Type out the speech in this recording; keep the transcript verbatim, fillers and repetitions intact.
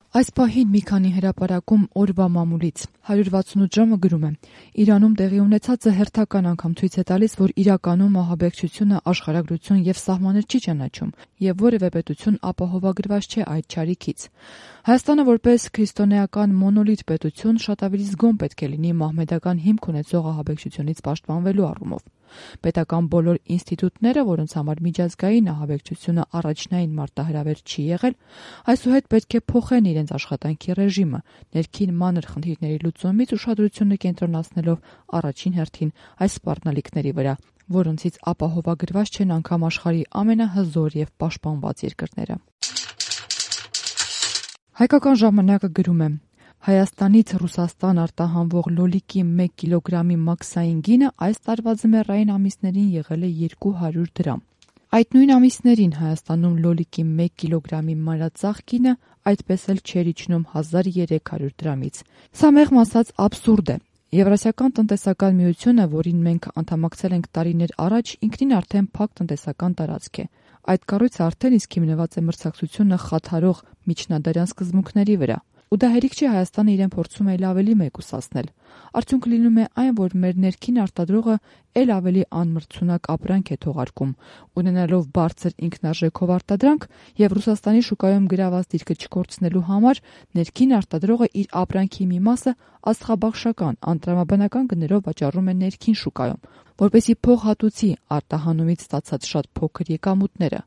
Այս պահին մի քանի հրապարակում օրվա մամուլից հարյուր վաթսունութ ժամը գրում է. Իրանում տեղի ունեցածը հերթական անգամ ցույց է տալիս, որ իրականում ահաբեկչությունը աշխարհագրություն եւ սահմաններ չի ճանաչում եւ որևէ պետություն ապահովագրված չէ այդ չարիքից։ Հայաստանը որպես քրիստոնեական մոնոլիթ պետություն շատ ավելի զգոն պետք է լինի մահմեդական հիմք ունեցող ահաբեկչությունից պաշտպանվելու առումով։ Պետական բոլոր ինստիտուտները, որոնց համար միջազգային ահաբեկչությունը առաջնային մարտահրավեր չի եղել, այսուհետ պետք է փոխեն իրենց աշխատանքի ռեժիմը, ներքին մանր խնդիրների լուծումից ուշադրությունը կենտրոնացնելով առաջին հերթին այս սպառնալիքների վրա, որոնցից ապահովագրված չեն անգամ աշխարհի ամենահզոր եւ պաշտպանված երկրները։ Հայկական ժամանակը գրում է. Հայաստանից Ռուսաստան արտահանվող լոլիկի մեկ կիլոգրամի մաքսային գինը այս տարվա ձմեռային ամիսներին եղել է երկու հարյուր դրամ։ Այդ նույն ամիսներին Հայաստանում լոլիկի մեկ կիլոգրամի մանրածախ գինը այդպես էլ չէր իջնում հազար երեք հարյուր դրամից։ Սա մեղմ ասած աբսուրդ է։ Եվրասիական տնտեսական միությունը, որին մենք անդամակցել ենք տարիներ առաջ, ինքնին արդեն փակ տնտեսական տարածք է։ Այդ կառույցը արդեն իսկ հիմնված է մրցակցությունը խաթարող միջնադարյան սկզբունքների վրա։ Ու դա հերիք չի Հայաստանը իրեն փորձում է ավելի մեկուսացնել։ Արդյունքը լինում է այն, որ մեր ներքին արտադրողը ել ավելի անմրցունակ ապրանք է թողարկում, ունենալով բարձր ինքնարժեքով արտադրանք եւ Ռուսաստանի շուկայում գրաված դիրքը չկորցնելու համար ներքին արտադրողը իր ապրանքի մի մասը աստղաբաշխական, անտրամաբանական գներով վաճառում է ներքին շուկայում, որպեսզի փոխհատուցի արտահանումից ստացած շատ փոքր եկամուտները։